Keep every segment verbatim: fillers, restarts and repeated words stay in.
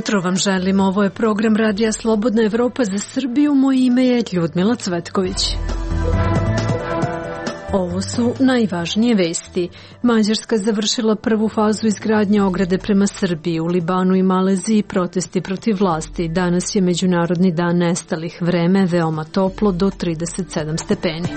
jutro vam želim, ovo je program Radija Slobodna Evropa za Srbiju, moje ime je Ljudmila Cvetković. Ovo su najvažnije vesti. Mađarska završila prvu fazu izgradnje ograde prema Srbiji. U Libanu i Maleziji protesti protiv vlasti. Danas je Međunarodni dan nestalih. Vreme veoma toplo do trideset sedam stepeni.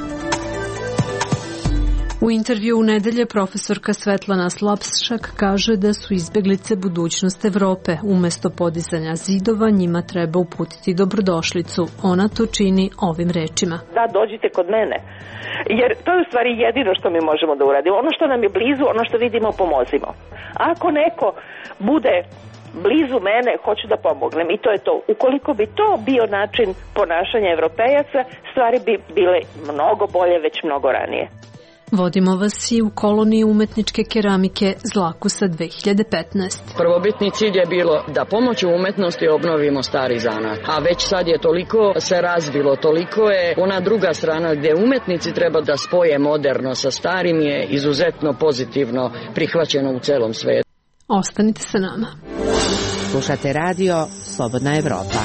U intervju u nedelje profesorka Svetlana Slapšak kaže da su izbeglice budućnost Evrope. Umesto podizanja zidova njima treba uputiti dobrodošlicu. Ona to čini ovim rečima. Da, dođite kod mene. Jer to je u stvari jedino što mi možemo da uradimo. Ono što nam je blizu, ono što vidimo, pomozimo. Ako neko bude blizu mene, hoću da pomognem i to je to. Ukoliko bi to bio način ponašanja Evropejaca, stvari bi bile mnogo bolje već mnogo ranije. Vodimo vas i u koloniji umetničke keramike Zlakusa dve hiljade petnaeste. Prvobitni cilj je bilo da pomoću umetnosti obnovimo stari zanat. A već sad je toliko se razvilo, toliko je ona druga strana gdje umetnici treba da spoje moderno sa starim je izuzetno pozitivno prihvaćeno u celom svetu. Ostanite sa nama. Slušate radio Slobodna Evropa.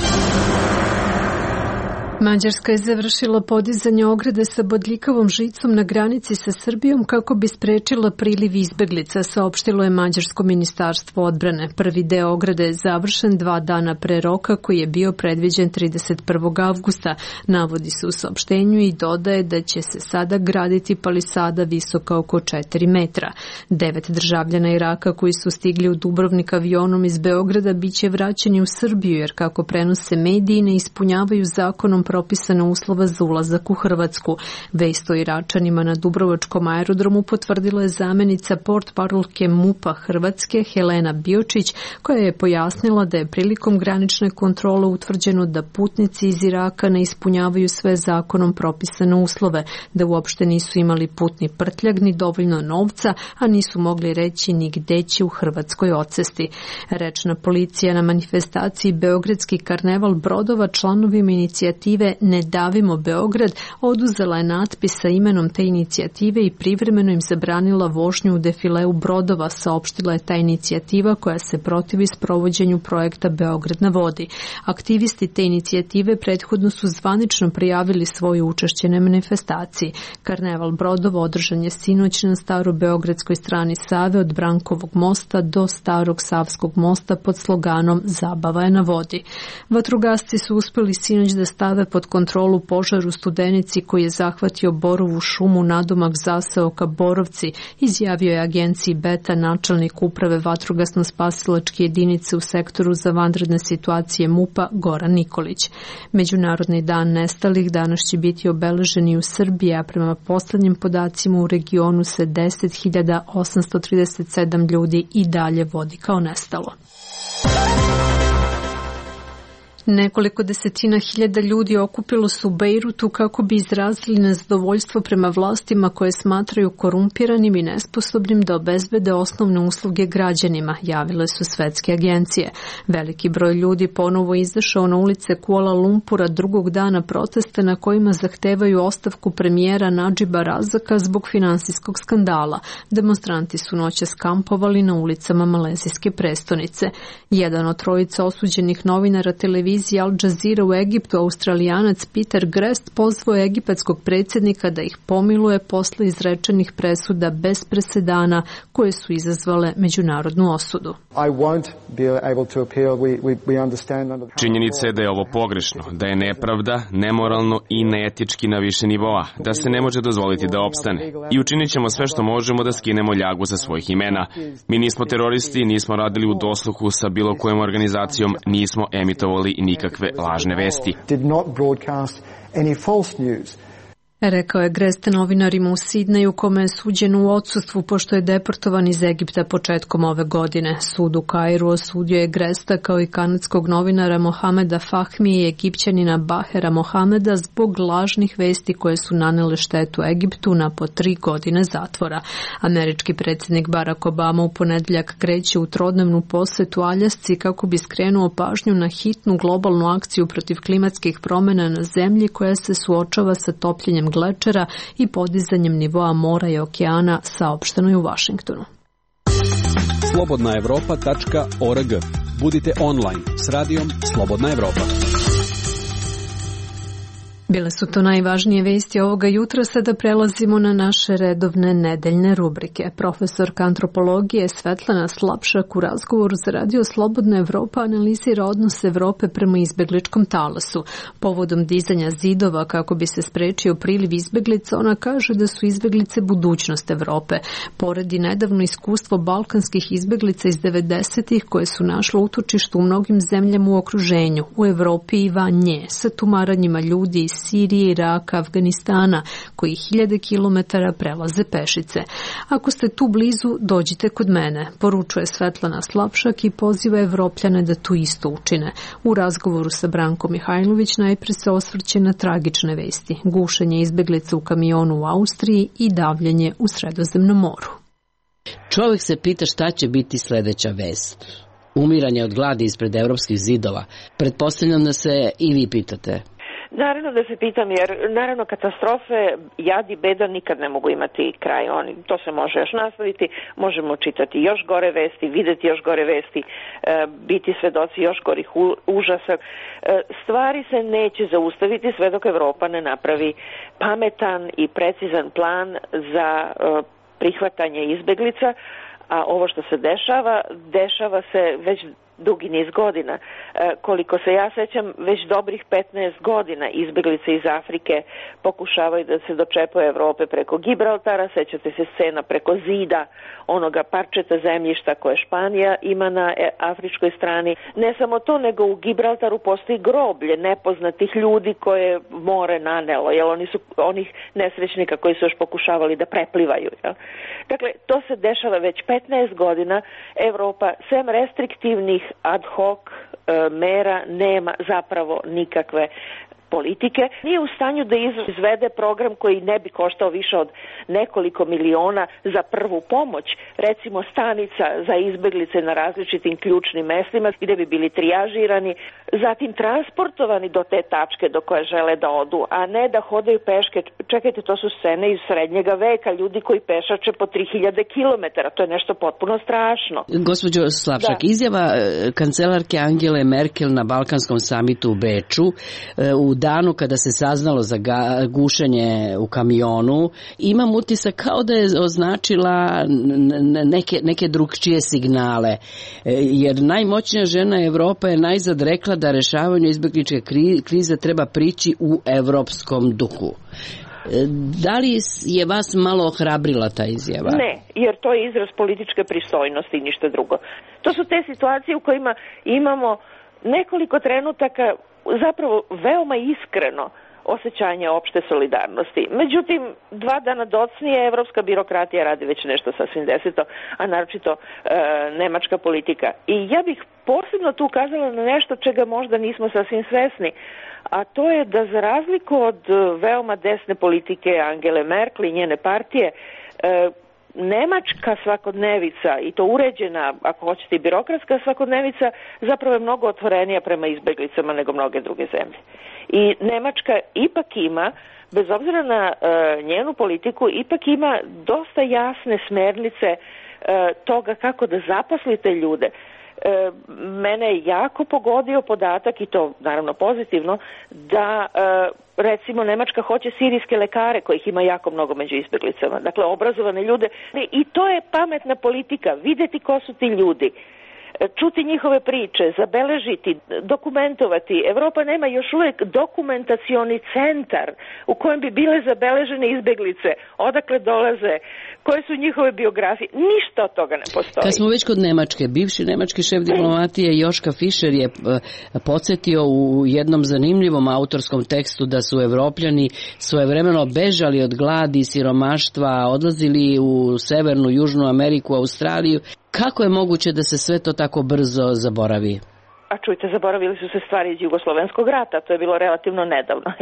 Mađarska je završila podizanje ograde sa bodljikavom žicom na granici sa Srbijom kako bi sprečila priliv izbeglica, saopštilo je Mađarsko ministarstvo odbrane. Prvi deo ograde je završen dva dana pre roka koji je bio predviđen trideset prvog avgusta. Navodi se u saopštenju i dodaje da će se sada graditi palisada visoka oko četiri metra. Devet državljana Iraka koji su stigli u Dubrovnik avionom iz Beograda biće vraćeni u Srbiju jer kako prenose mediji ne ispunjavaju zakonom propisana uslova za ulazak u Hrvatsku. Vest o Iračanima na Dubrovačkom aerodromu potvrdila je zamenica portparolke MUP-a Hrvatske Helena Biočić, koja je pojasnila da je prilikom granične kontrole utvrđeno da putnici iz Iraka ne ispunjavaju sve zakonom propisane uslove, da uopšte nisu imali putni prtljag ni dovoljno novca, a nisu mogli reći ni gde će u Hrvatskoj odsesti. Rečna policija na manifestaciji Beogradski karneval brodova članovima inicijative Ne davimo Beograd oduzela je natpis sa imenom te inicijative i privremeno im zabranila vožnju u defileu brodova, saopštila je ta inicijativa koja se protivi sprovođenju projekta Beograd na vodi. Aktivisti te inicijative prethodno su zvanično prijavili svoje učešće na manifestaciji. Karneval brodova održan je sinoć na starobeogradskoj strani Save od Brankovog mosta do Starog Savskog mosta pod sloganom Zabava je na vodi. Vatrogasci su uspeli sinoć da stave pod kontrolu požar u Studenici koji je zahvatio Borovu šumu nadomak zaseoka Borovci, izjavio je agenciji Beta načelnik uprave vatrogasno-spasilačke jedinice u sektoru za vanredne situacije MUP-a Goran Nikolić. Međunarodni dan nestalih danas će biti obeležen i u Srbiji, a prema poslednjim podacima u regionu se deset hiljada osamsto trideset sedam ljudi i dalje vodi kao nestalo. Nekoliko desetina hiljada ljudi okupilo su u Bejrutu kako bi izrazili nezadovoljstvo prema vlastima koje smatraju korumpiranim i nesposobnim da obezbede osnovne usluge građanima, javile su svetske agencije. Veliki broj ljudi ponovo izašao na ulice Kuala Lumpura drugog dana protesta na kojima zahtevaju ostavku premijera Nadžiba Razaka zbog finansijskog skandala. Demonstranti su noćas kampovali na ulicama malezijske prestonice. Jedan od trojice osuđenih novinara televizije Al Jazeera u Egiptu, Australijanac Peter Grest, pozvao egipatskog predsjednika da ih pomiluje posle izrečenih presuda bez presedana koje su izazvale međunarodnu osudu. Činjenica je da je ovo pogrešno, da je nepravda, nemoralno i neetički na više nivoa, da se ne može dozvoliti da opstane. I učinit ćemo sve što možemo da skinemo ljagu sa svojih imena. Mi nismo teroristi, nismo radili u dosluhu sa bilo kojom organizacijom, nismo emitovali nikakve lažne vesti. Rekao je Grest novinarima u Sidneju, kome je suđeno u odsustvu pošto je deportovan iz Egipta početkom ove godine. Sud u Kairu osudio je Gresta kao i kanadskog novinara Mohameda Fahmi i Egipćanina Bahera Mohameda zbog lažnih vesti koje su nanele štetu Egiptu na po tri godine zatvora. Američki predsjednik Barack Obama u ponedeljak kreće u trodnevnu posetu Aljasci kako bi skrenuo pažnju na hitnu globalnu akciju protiv klimatskih promjena na zemlji koja se suočava sa topljenjem glečera i podizanjem nivoa mora i okeana, saopšteno je u Vašingtonu. slobodna evropa tačka org. Budite online s radijom Slobodna Evropa. Bile su to najvažnije vesti ovoga jutra, sada prelazimo na naše redovne nedeljne rubrike. Profesorka antropologije Svetlana Slapšak u razgovoru za radio Slobodna Evropa analizira odnos Evrope prema izbegličkom talasu. Povodom dizanja zidova kako bi se sprečio priliv izbeglica, ona kaže da su izbeglice budućnost Evrope. Poredi nedavno iskustvo balkanskih izbeglica iz devedesetih koje su našle utočište u mnogim zemljama u okruženju, u Evropi i van nje, sa tumaranjima ljudi iz Sirije, Iraka, Afganistana, koji hiljade kilometara prelaze pešice. Ako ste tu blizu, dođite kod mene, poručuje Svetlana Slapšak i poziva Evropljane da tu isto učine. U razgovoru sa Brankom Mihajlović najpre se osvrće na tragične vesti, gušenje izbeglica u kamionu u Austriji i davljenje u Sredozemnom moru. Čovjek se pita šta će biti sljedeća vest. Umiranje od gladi ispred evropskih zidova. Pretpostavljam da se i vi pitate. Naravno da se pitam, jer naravno katastrofe, jad i beda nikad ne mogu imati kraj. Oni, to se može još nastaviti, možemo čitati još gore vesti, videti još gore vesti, biti svedoci još gorih užasa. Stvari se neće zaustaviti sve dok Evropa ne napravi pametan i precizan plan za prihvatanje izbeglica, a ovo što se dešava, dešava se već dugi niz godina. E, koliko se ja sećam, već dobrih petnaest godina izbeglice iz Afrike pokušavaju da se dočepaju Evrope preko Gibraltara, sećate se scena preko zida, onoga parčeta zemljišta koje Španija ima na afričkoj strani. Ne samo to, nego u Gibraltaru postoji groblje nepoznatih ljudi koje more nanelo, jer oni su onih nesrećnika koji su još pokušavali da preplivaju. Jel? Dakle, to se dešava već petnaest godina. Evropa, sem restriktivnih ad hoc e, mera, nema zapravo nikakve politike. Nije u stanju da izvede program koji ne bi koštao više od nekoliko miliona za prvu pomoć, recimo stanica za izbeglice na različitim ključnim mestima gdje bi bili trijažirani, zatim transportovani do te tačke do koje žele da odu, a ne da hodaju peške. Čekajte, to su scene iz srednjega veka, ljudi koji pešače po tri hiljade kilometara, to je nešto potpuno strašno. Gospođo Slapšak, da. Izjava kancelarke Angele Merkel na Balkanskom samitu u Beču u danu kada se saznalo za gušenje u kamionu, imam utisak kao da je označila neke, neke drugčije signale. Jer najmoćnija žena Evropa je najzad rekla da rešavanju izbegličke krize treba prići u evropskom duhu. Da li je vas malo ohrabrila ta izjava? Ne, jer to je izraz političke pristojnosti i ništa drugo. To su te situacije u kojima imamo nekoliko trenutaka zapravo veoma iskreno osjećanje opšte solidarnosti. Međutim, dva dana docnije evropska birokratija radi već nešto sasvim deseto, a naročito e, nemačka politika. I ja bih posebno tu ukazala na nešto čega možda nismo sasvim svesni, a to je da za razliku od veoma desne politike Angele Merkel i njene partije, e, nemačka svakodnevica, i to uređena, ako hoćete i birokratska svakodnevica, zapravo je mnogo otvorenija prema izbeglicama nego mnoge druge zemlje. I Nemačka ipak ima, bez obzira na e, njenu politiku, ipak ima dosta jasne smernice e, toga kako da zaposlite ljude. E, mene je jako pogodio podatak, i to naravno pozitivno, da e, recimo Nemačka hoće sirijske lekare kojih ima jako mnogo među izbeglicama, dakle obrazovane ljude, i to je pametna politika, videti ko su ti ljudi, čuti njihove priče, zabeležiti, dokumentovati. Evropa nema još uvijek dokumentacioni centar u kojem bi bile zabeležene izbeglice, odakle dolaze, koje su njihove biografije. Ništa od toga ne postoji. Kad smo već kod Nemačke, bivši nemački šef diplomatije Joška Fischer je podsjetio u jednom zanimljivom autorskom tekstu da su Evropljani svojevremeno bežali od gladi i siromaštva, odlazili u Severnu, Južnu Ameriku, Australiju. Kako je moguće da se sve to tako brzo zaboravi? a čujte, zaboravili su se stvari iz Jugoslovenskog rata, to je bilo relativno nedavno.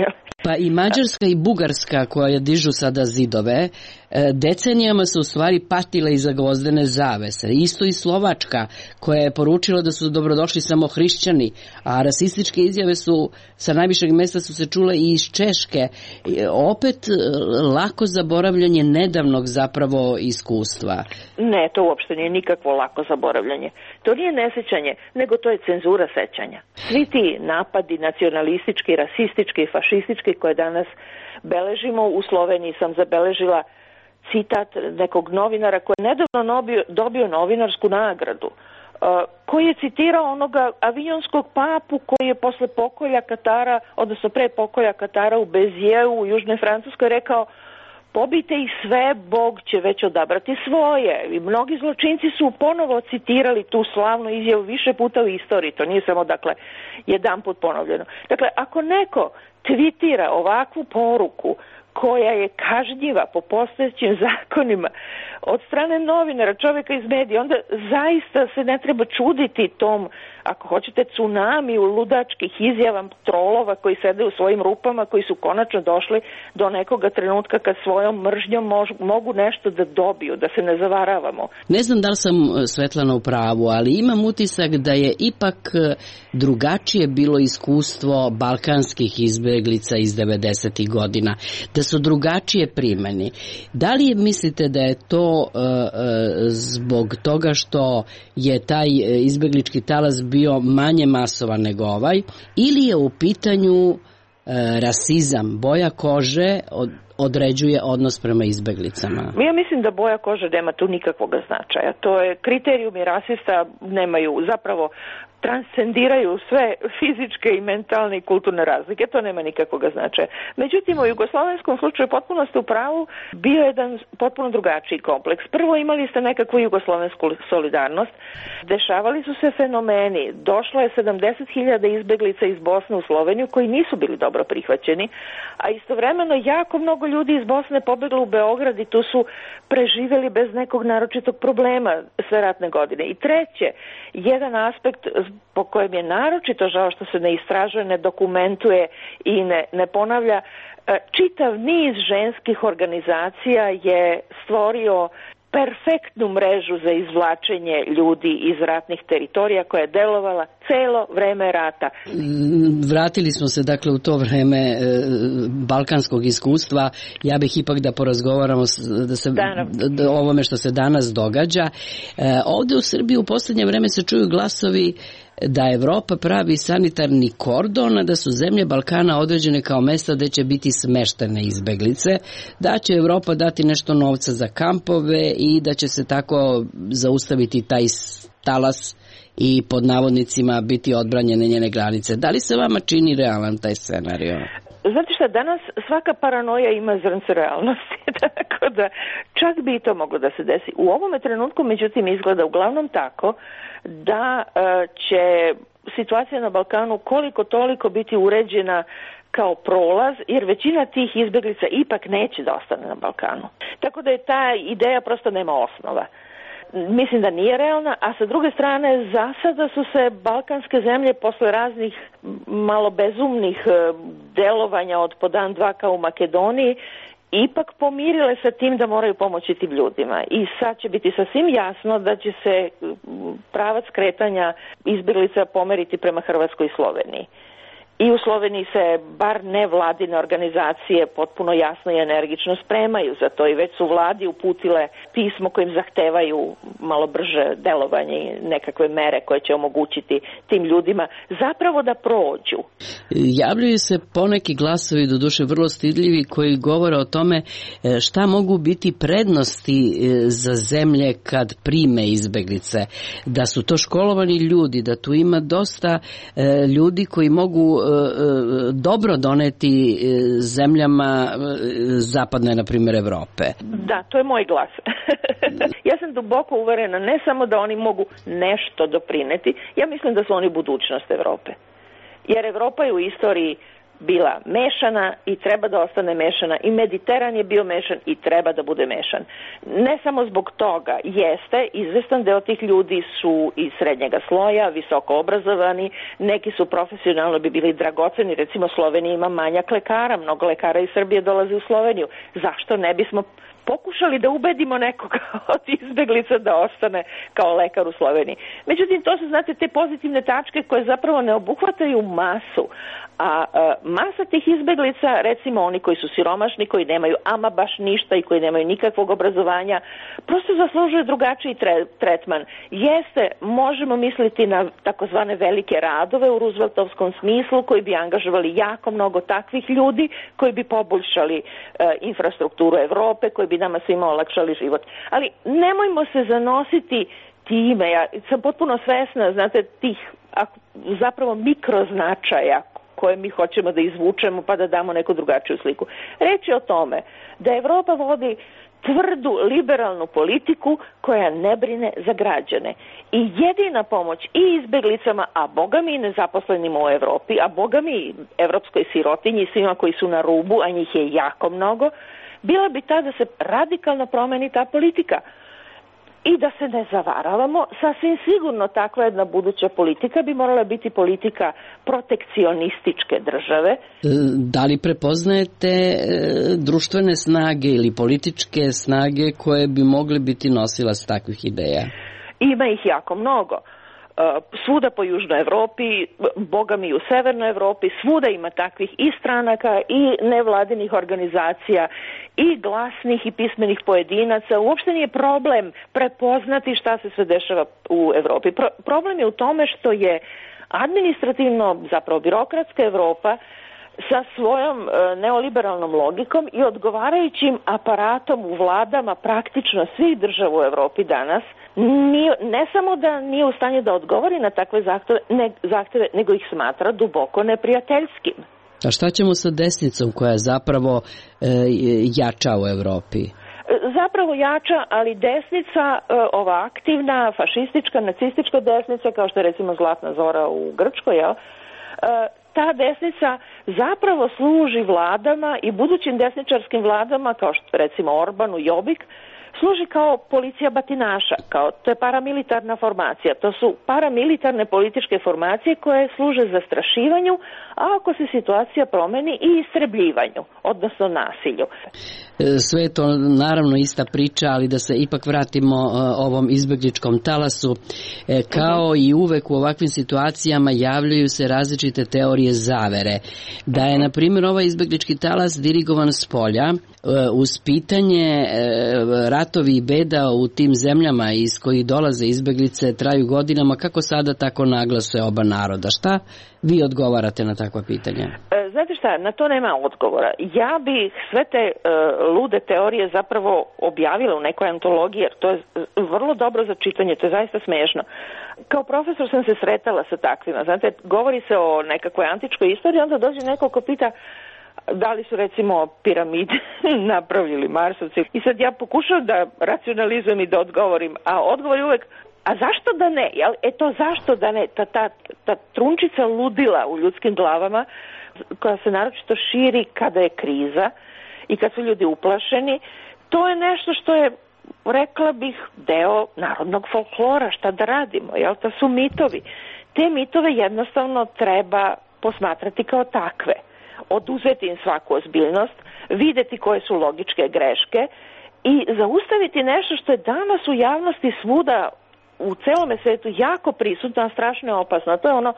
Pa i Mađarska i Bugarska, koja dižu sada zidove, decenijama su u stvari patile iza gvozdene zavese. Isto i Slovačka, koja je poručila da su dobrodošli samo hrišćani, a rasističke izjave su sa najvišeg mesta su se čule i iz Češke. Opet lako zaboravljanje nedavnog zapravo iskustva. Ne, to uopšte nije nikakvo lako zaboravljanje. To nije nesećanje, nego to je cenzura sećanja. Svi ti napadi nacionalistički, rasistički i fašistički koje danas beležimo, u Sloveniji sam zabeležila citat nekog novinara koji je nedavno dobio, dobio novinarsku nagradu, koji je citirao onoga avionskog papu koji je posle pokolja Katara, odnosno pre pokolja Katara u Bezijeu u Južnoj Francuskoj rekao: pobijte ih sve, Bog će već odabrati svoje. I mnogi zločinci su ponovo citirali tu slavnu izjavu više puta u istoriji. To nije samo, dakle, jedan put ponovljeno. Dakle, ako neko tvitira ovakvu poruku koja je kažnjiva po postojećim zakonima od strane novinara, čovjeka iz medija, onda zaista se ne treba čuditi tom, ako hoćete, tsunami u ludačkih izjava trolova koji sede u svojim rupama, koji su konačno došli do nekoga trenutka kad svojom mržnjom mož, mogu nešto da dobiju, da se ne zavaravamo. Ne znam da li sam, Svetlana, u pravu, ali imam utisak da je ipak drugačije bilo iskustvo balkanskih izbeglica iz devedesetih godina, da su drugačije primeni. Da li mislite da je to uh, zbog toga što je taj izbeglički talas bio manje masovan nego ovaj, ili je u pitanju uh, rasizam, boja kože od, određuje odnos prema izbeglicama? Ja mislim da boja kože nema tu nikakvog značaja. To je, kriterijumi rasista nemaju, zapravo transcendiraju sve fizičke i mentalne i kulturne razlike, to nema nikakvog značaja. Međutim, u jugoslovenskom slučaju potpuno ste u pravu, bio je jedan potpuno drugačiji kompleks. Prvo, imali ste nekakvu jugoslovensku solidarnost, dešavali su se fenomeni, došlo je sedamdeset hiljada izbeglica iz Bosne u Sloveniju koji nisu bili dobro prihvaćeni, a istovremeno jako mnogo ljudi iz Bosne pobeglo u Beograd i tu su preživjeli bez nekog naročitog problema sve ratne godine. I treće, jedan aspekt po kojem je naročito žao što se ne istražuje, ne dokumentuje i ne, ne ponavlja, čitav niz ženskih organizacija je stvorio perfektnu mrežu za izvlačenje ljudi iz ratnih teritorija koja je delovala celo vreme rata. Vratili smo se dakle u to vreme e, balkanskog iskustva. Ja bih ipak da porazgovaramo da se, da, o ovome što se danas događa. E, ovde u Srbiji u poslednje vreme se čuju glasovi da Evropa pravi sanitarni kordon, a da su zemlje Balkana određene kao mesta gde će biti smeštene izbeglice, da će Evropa dati nešto novca za kampove i da će se tako zaustaviti taj talas i pod navodnicima biti odbranjene njene granice. Da li se vama čini realan taj scenario? Znate šta, danas svaka paranoja ima zrnce realnosti, tako da čak bi i to moglo da se desi. U ovome trenutku, međutim, izgleda uglavnom tako da e, će situacija na Balkanu koliko toliko biti uređena kao prolaz, jer većina tih izbeglica ipak neće da ostane na Balkanu. Tako da je ta ideja prosto nema osnova. Mislim da nije realna, a sa druge strane za sada su se balkanske zemlje posle raznih malo bezumnih delovanja od po dan dva kao u Makedoniji ipak pomirile sa tim da moraju pomoći tim ljudima. I sad će biti sasvim jasno da će se pravac kretanja izbeglica pomeriti prema Hrvatskoj i Sloveniji. I u Sloveniji se bar nevladine organizacije potpuno jasno i energično spremaju za to i već su vladi uputile pismo kojim zahtevaju malo brže delovanje i nekakve mere koje će omogućiti tim ljudima zapravo da prođu. Javljaju se poneki glasovi, doduše vrlo stidljivi, koji govore o tome šta mogu biti prednosti za zemlje kad prime izbeglice. Da su to školovani ljudi, da tu ima dosta ljudi koji mogu dobro doneti zemljama zapadne, na primjer, Evrope. Da, to je moj glas. Ja sam duboko uverena ne samo da oni mogu nešto doprineti, ja mislim da su oni budućnost Evrope. Jer Evropa je u istoriji bila mešana i treba da ostane mešana i Mediteran je bio mešan i treba da bude mešan. Ne samo zbog toga, jeste, izvestan deo tih ljudi su iz srednjega sloja, visoko obrazovani, neki su profesionalno bi bili dragoceni, recimo Slovenija ima manjak lekara, mnogo lekara iz Srbije dolazi u Sloveniju. Zašto ne bismo pokušali da ubedimo nekoga od izbeglica da ostane kao lekar u Sloveniji? Međutim, to su, znate, te pozitivne tačke koje zapravo ne obuhvataju masu. A e, masa tih izbeglica, recimo oni koji su siromašni, koji nemaju ama baš ništa i koji nemaju nikakvog obrazovanja, prosto zaslužuju drugačiji tre, tretman. Jeste, možemo misliti na takozvane velike radove u Rooseveltovskom smislu koji bi angažovali jako mnogo takvih ljudi, koji bi poboljšali e, infrastrukturu Evrope, koji bi nama svima olakšali život. Ali nemojmo se zanositi time, ja sam potpuno svesna, znate, tih zapravo mikroznačaja koje mi hoćemo da izvučemo pa da damo neku drugačiju sliku. Reč je o tome da Evropa vodi tvrdu liberalnu politiku koja ne brine za građane. I jedina pomoć i izbeglicama, a boga mi nezaposlenima u Evropi, a boga mi evropskoj sirotinji, svima koji su na rubu, a njih je jako mnogo, bila bi ta da se radikalno promeni ta politika. I da se ne zavaravamo, sasvim sigurno takva jedna buduća politika bi morala biti politika protekcionističke države. Da li prepoznajete društvene snage ili političke snage koje bi mogle biti nosilac takvih ideja? Ima ih jako mnogo. Svuda po Južnoj Evropi, boga mi u Severnoj Evropi, svuda ima takvih i stranaka i nevladinih organizacija i glasnih i pismenih pojedinaca. Uopšte nije problem prepoznati šta se sve dešava u Evropi. Pro, problem je u tome što je administrativno, zapravo birokratska Evropa sa svojom e, neoliberalnom logikom i odgovarajućim aparatom u vladama praktično svih država u Evropi danas nije, ne samo da nije u stanju da odgovori na takve zahteve, ne, zahteve, nego ih smatra duboko neprijateljskim. A šta ćemo sa desnicom koja zapravo e, jača u Evropi? Zapravo jača, ali desnica, ova aktivna, fašistička, nacistička desnica, kao što je recimo Zlatna Zora u Grčkoj, jel? Ta desnica zapravo služi vladama i budućim desničarskim vladama, kao što recimo Orbanu, Jobbik, služi kao policija batinaša, kao to je paramilitarna formacija. To su paramilitarne političke formacije koje služe zastrašivanju, a ako se situacija promeni i istrebljivanju, odnosno nasilju. Sve je to naravno ista priča, ali da se ipak vratimo ovom izbegličkom talasu. Kao i uvek u ovakvim situacijama javljaju se različite teorije zavere. Da je, na primjer, ovaj izbeglički talas dirigovan s polja, uz pitanje ratovi i beda u tim zemljama iz kojih dolaze izbeglice traju godinama, kako sada, tako naglo se oba naroda. Šta vi odgovarate na takva pitanja? Znate šta, na to nema odgovora. Ja bih sve te uh, lude teorije zapravo objavila u nekoj antologiji, jer to je vrlo dobro za čitanje, to je zaista smiješno. Kao profesor sam se sretala sa takvima. Znate, govori se o nekakvoj antičkoj istoriji, onda dođe neko ko pita da li su recimo piramide napravili Marsovci. I sad ja pokušam da racionalizujem i da odgovorim, a odgovor je uvek, a zašto da ne? Jel? E to zašto da ne? Ta, ta, ta trunčica ludila u ljudskim glavama, koja se naročito širi kada je kriza i kad su ljudi uplašeni, to je nešto što je, rekla bih, deo narodnog folklora. Šta da radimo? Jel? To su mitovi. Te mitove jednostavno treba posmatrati kao takve. Oduzeti im svaku ozbiljnost, videti koje su logičke greške i zaustaviti nešto što je danas u javnosti svuda u celome svetu jako prisutno, a strašno je opasno. To je ono,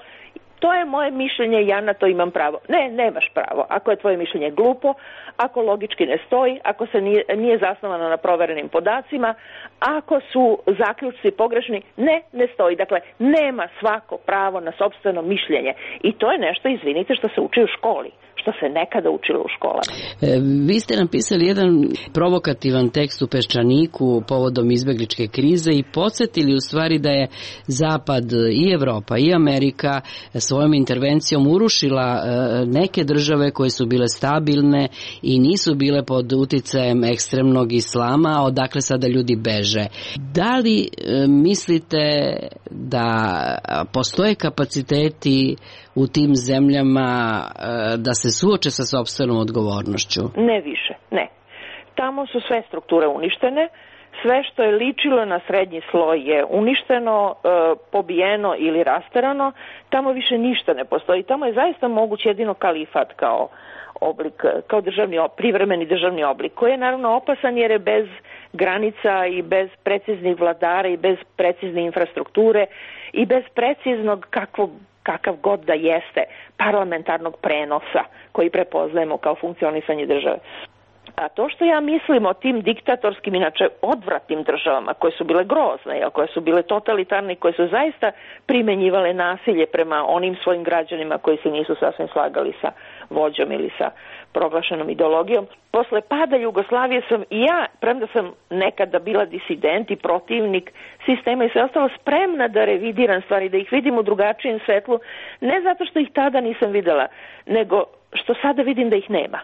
to je moje mišljenje, ja na to imam pravo. Ne, nemaš pravo. Ako je tvoje mišljenje glupo, ako logički ne stoji, ako se nije, nije zasnovano na proverenim podacima, ako su zaključci pogrešni, ne, ne stoji. Dakle, nema svako pravo na sopstveno mišljenje. I to je nešto, izvinite, što se uči u školi, što se nekada učilo u školama. E, vi ste napisali jedan provokativan tekst u Peščaniku povodom izbegličke krize i podsjetili u stvari da je Zapad i Evropa i Amerika svojom intervencijom urušila e, neke države koje su bile stabilne i nisu bile pod uticajem ekstremnog islama, odakle sada ljudi beže. Da li e, mislite da postoje kapaciteti u tim zemljama da se suoče sa sopstvenom odgovornošću? Ne više, ne. Tamo su sve strukture uništene, sve što je ličilo na srednji sloj je uništeno, e, pobijeno ili rasterano, tamo više ništa ne postoji. Tamo je zaista moguć jedino kalifat kao oblik, kao državni, privremeni državni oblik, koji je naravno opasan jer je bez granica i bez preciznih vladara i bez precizne infrastrukture i bez preciznog kakvog kakav god da jeste parlamentarnog prenosa koji prepoznajemo kao funkcionisanje države. A to što ja mislim o tim diktatorskim, inače odvratnim državama koje su bile grozne, koje su bile totalitarne, koje su zaista primenjivale nasilje prema onim svojim građanima koji se nisu sasvim slagali sa vođom ili sa proglašenom ideologijom. Posle pada Jugoslavije sam i ja, premda sam nekada bila disident i protivnik sistema i sve ostalo, spremna da revidiram stvari, da ih vidim u drugačijem svetlu, ne zato što ih tada nisam videla, nego što sada vidim da ih nema.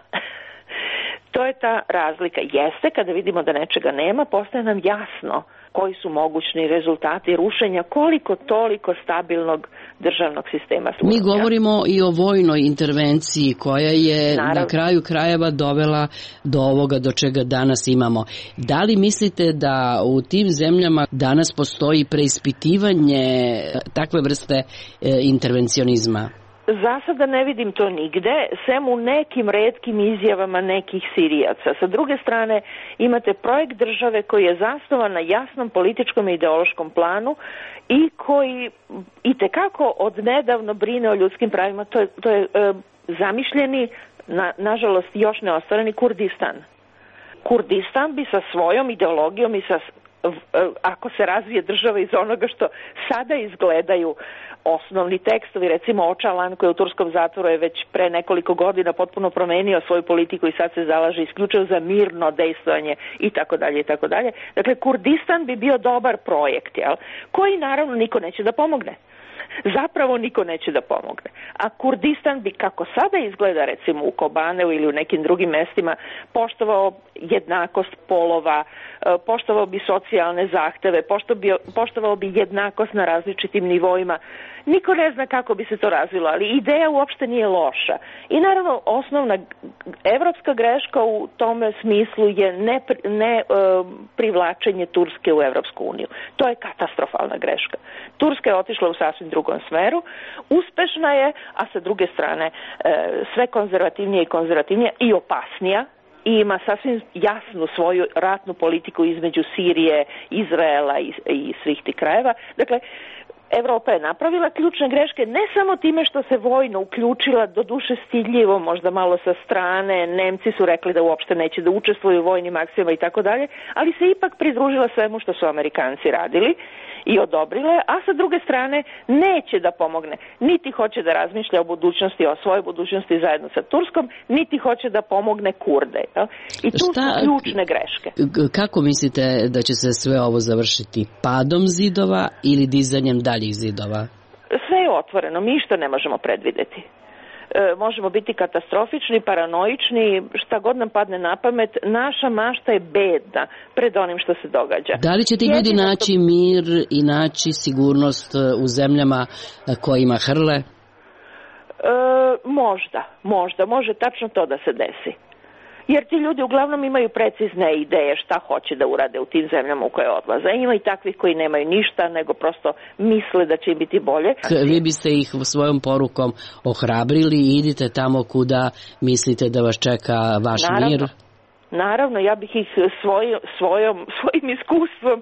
To je ta razlika. Jeste, kada vidimo da nečega nema, postaje nam jasno koji su mogućni rezultati rušenja koliko toliko stabilnog državnog sistema. Mi govorimo i o vojnoj intervenciji koja je Naravno. na kraju krajeva dovela do ovoga do čega danas imamo. Da li mislite da u tim zemljama danas postoji preispitivanje takve vrste e, intervencionizma? Za sada ne vidim to nigde, sem u nekim retkim izjavama nekih Sirijaca. Sa druge strane, imate projekt države koji je zasnovan na jasnom političkom i ideološkom planu i koji itekako odnedavno brine o ljudskim pravima. To je, to je e, zamišljeni, na, nažalost još neostvareni Kurdistan. Kurdistan bi sa svojom ideologijom i sa, ako se razvije država iz onoga što sada izgledaju osnovni tekstovi, recimo Ocalan koji je u turskom zatvoru je već pre nekoliko godina potpuno promenio svoju politiku i sad se zalaže isključivo za mirno dejstvovanje i tako dalje i tako dalje. Dakle, Kurdistan bi bio dobar projekt, jel? Koji naravno niko neće da pomogne. Zapravo niko neće da pomogne. A Kurdistan bi, kako sada izgleda recimo u Kobaneu ili u nekim drugim mestima, poštovao jednakost polova, poštovao bi socijalne zahteve, poštovao bi jednakost na različitim nivoima. Niko ne zna kako bi se to razvilo, ali ideja uopšte nije loša. I naravno osnovna evropska greška u tome smislu je ne, ne e, privlačenje Turske u Evropsku uniju. To je katastrofalna greška. Turska je otišla u sasvim drugom smeru, uspešna je, a sa druge strane e, sve konzervativnije i konzervativnije i opasnija, i ima sasvim jasnu svoju ratnu politiku između Sirije, Izraela i, i svih tih krajeva. Dakle, Evropa je napravila ključne greške ne samo time što se vojno uključila, do duše stidljivo, možda malo sa strane, Nemci su rekli da uopšte neće da učestvuju u vojnim akcijama i tako dalje, ali se ipak pridružila svemu što su Amerikanci radili i odobrile, a sa druge strane neće da pomogne, niti hoće da razmišlja o budućnosti, o svojoj budućnosti zajedno sa Turskom, niti hoće da pomogne Kurde. Ja? I tu Šta, su ključne greške. Kako mislite da će se sve ovo završiti? Padom zidova ili dizanjem daljih zidova? Sve je otvoreno, mi što ne možemo predvideti. E, možemo biti katastrofični, paranoični, šta god nam padne na pamet. Naša mašta je bedna pred onim što se događa. Da li će ti ljudi Jedino naći to... mir i naći sigurnost u zemljama kojima hrle? E, možda, možda, može tačno to da se desi. Jer ti ljudi uglavnom imaju precizne ideje šta hoće da urade u tim zemljama u koje odlaze. Ima i takvih koji nemaju ništa, nego prosto misle da će im biti bolje. Vi biste ih svojom porukom ohrabrili i idite tamo kuda mislite da vas čeka vaš Naravno. mir? Naravno, ja bih ih svoj, svojom, svojim iskustvom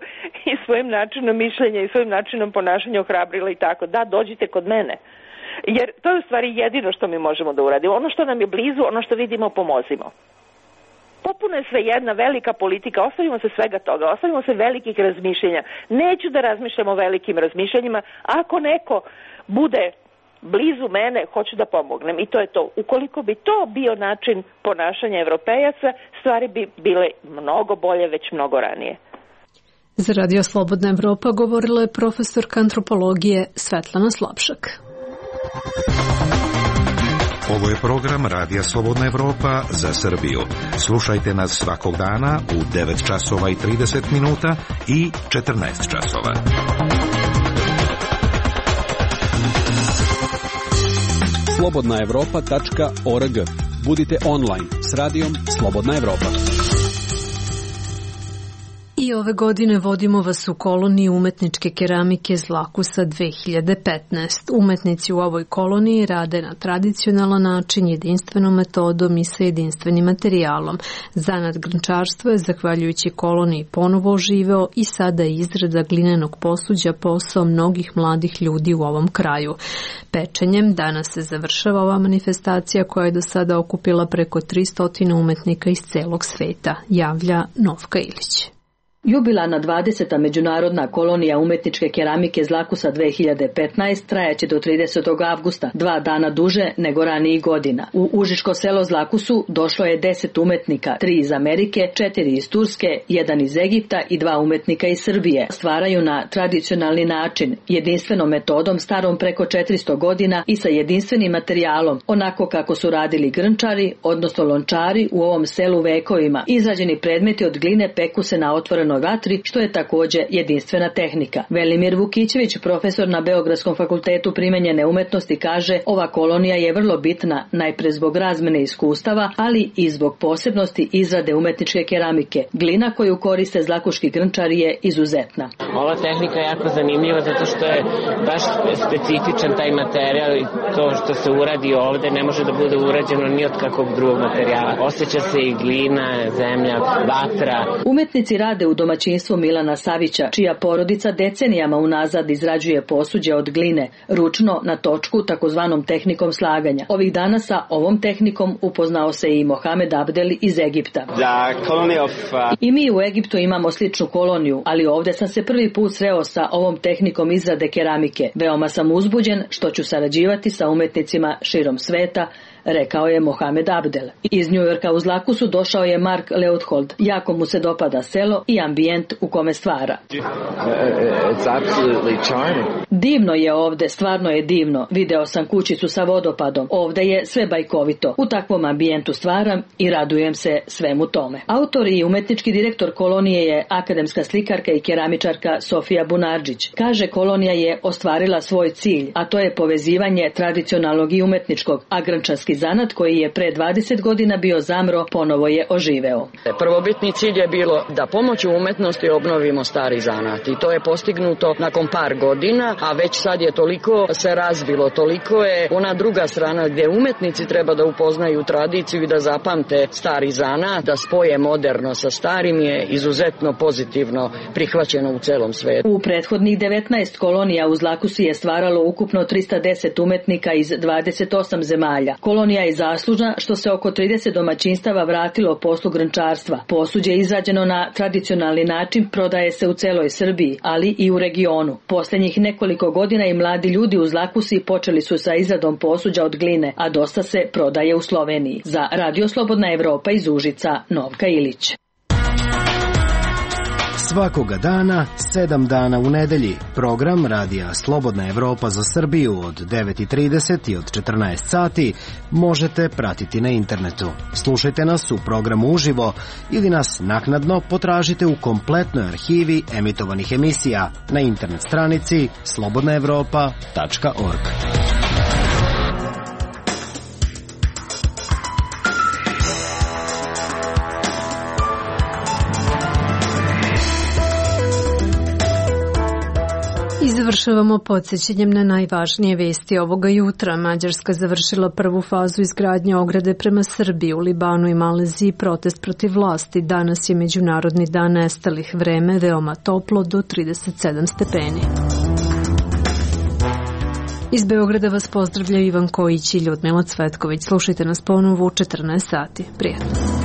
i svojim načinom mišljenja i svojim načinom ponašanja ohrabrila i tako. Da, dođite kod mene. Jer to je u stvari jedino što mi možemo da uradimo. Ono što nam je blizu, ono što vidimo, pomozimo. Popuno je sve jedna velika politika, ostavimo se svega toga, ostavimo se velikih razmišljenja. Neću da razmišljam o velikim razmišljanjima, ako neko bude blizu mene, hoću da pomognem i to je to. Ukoliko bi to bio način ponašanja Evropejaca, stvari bi bile mnogo bolje već mnogo ranije. Za Radio Slobodna Evropa govorila je profesorka antropologije Svetlana Slapšak. Ovo je program Radija Slobodna Evropa za Srbiju. Slušajte nas svakog dana u devet časova i trideset minuta i četrnaest časova. slobodna evropa tačka org. Budite online s radijom Slobodna Evropa. I ove godine vodimo vas u koloniji umetničke keramike Zlakusa dve hiljade petnaest. Umetnici u ovoj koloniji rade na tradicionalan način, jedinstvenom metodom i sa jedinstvenim materijalom. Zanat grnčarstvo je, zahvaljujući koloniji, ponovo oživeo i sada je izrada glinenog posuđa posao mnogih mladih ljudi u ovom kraju. Pečenjem danas se završava ova manifestacija koja je do sada okupila preko tristo umetnika iz celog sveta, javlja Novka Ilić. Jubilarna dvadeseta međunarodna kolonija umetničke keramike Zlakusa dve hiljade petnaest trajaće do tridesetog avgusta, dva dana duže nego ranijih godina. U užičko selo Zlakusu došlo je deset umetnika, tri iz Amerike, četiri iz Turske, jedan iz Egipta i dva umetnika iz Srbije. Stvaraju na tradicionalni način, jedinstvenom metodom starom preko četiristo godina i sa jedinstvenim materijalom, onako kako su radili grnčari, odnosno lončari u ovom selu vekovima. Izrađeni predmeti od gline peku se na otvoreno vatri, što je također jedinstvena tehnika. Velimir Vukićević, profesor na Beogradskom fakultetu primenjene umetnosti, kaže: ova kolonija je vrlo bitna, najpre zbog razmene iskustava, ali i zbog posebnosti izrade umetničke keramike. Glina koju koriste zlakuški grnčari je izuzetna. Ova tehnika je jako zanimljiva zato što je baš specifičan taj materijal i to što se uradi ovde ne može da bude urađeno ni od kakvog drugog materijala. Osjeća se i glina, zemlja, vatra. Umetnici rade u domaćinstvu Milana Savića, čija porodica decenijama unazad izrađuje posuđe od gline, ručno na točku takozvanom tehnikom slaganja. Ovih dana sa ovom tehnikom upoznao se i Mohamed Abdel iz Egipta. Of, uh... I mi u Egiptu imamo sličnu koloniju, ali ovdje sam se prvi put sreo sa ovom tehnikom izrade keramike. Veoma sam uzbuđen što ću sarađivati sa umetnicima širom sveta, rekao je Mohamed Abdel. Iz Njujorka u Zlakusu došao je Mark Leuthold. Jako mu se dopada selo i ambijent u kome stvara. Divno je ovde, stvarno je divno. Video sam kućicu sa vodopadom. Ovde je sve bajkovito. U takvom ambijentu stvaram i radujem se svemu tome. Autor i umetnički direktor kolonije je akademska slikarka i keramičarka Sofija Bunarđić. Kaže, kolonija je ostvarila svoj cilj, a to je povezivanje tradicionalnog i umetničkog, a grnčarski zanat koji je pre dvadeset godina bio zamro, ponovo je oživeo. Prvobitni cilj je bilo da pomoću umetnosti obnovimo stari zanat i to je postignuto nakon par godina, a već sad je toliko se razvilo, toliko je ona druga strana gdje umetnici treba da upoznaju tradiciju i da zapamte stari zanat, da spoje moderno sa starim, je izuzetno pozitivno prihvaćeno u celom svetu. U prethodnih devetnaest kolonija u Zlakusi je stvaralo ukupno trista deset umetnika iz dvadeset osam zemalja. Kolonija je zaslužna što se oko trideset domaćinstava vratilo poslu grnčarstva. Posuđe izrađeno na tradicionalni način prodaje se u celoj Srbiji, ali i u regionu. Posljednjih nekoliko godina i mladi ljudi u Zlakusi počeli su sa izradom posuđa od gline, a dosta se prodaje u Sloveniji. Za Radio Slobodna Evropa iz Užica, Novka Ilić. Svakoga dana, sedam dana u nedelji, program Radija Slobodna Evropa za Srbiju od devet i trideset i od četrnaest sati možete pratiti na internetu. Slušajte nas u programu uživo ili nas naknadno potražite u kompletnoj arhivi emitovanih emisija na internet stranici slobodna evropa tačka org. I završavamo podsjećanjem na najvažnije vesti ovoga jutra. Mađarska završila prvu fazu izgradnje ograde prema Srbiji. U Libanu i Maleziji protest protiv vlasti. Danas je Međunarodni dan nestalih, vreme veoma toplo do trideset sedam stepeni. Iz Beograda vas pozdravljaju Ivan Kojić i Ljudmila Cvetković. Slušajte nas ponovo u četrnaest sati. Prijatno.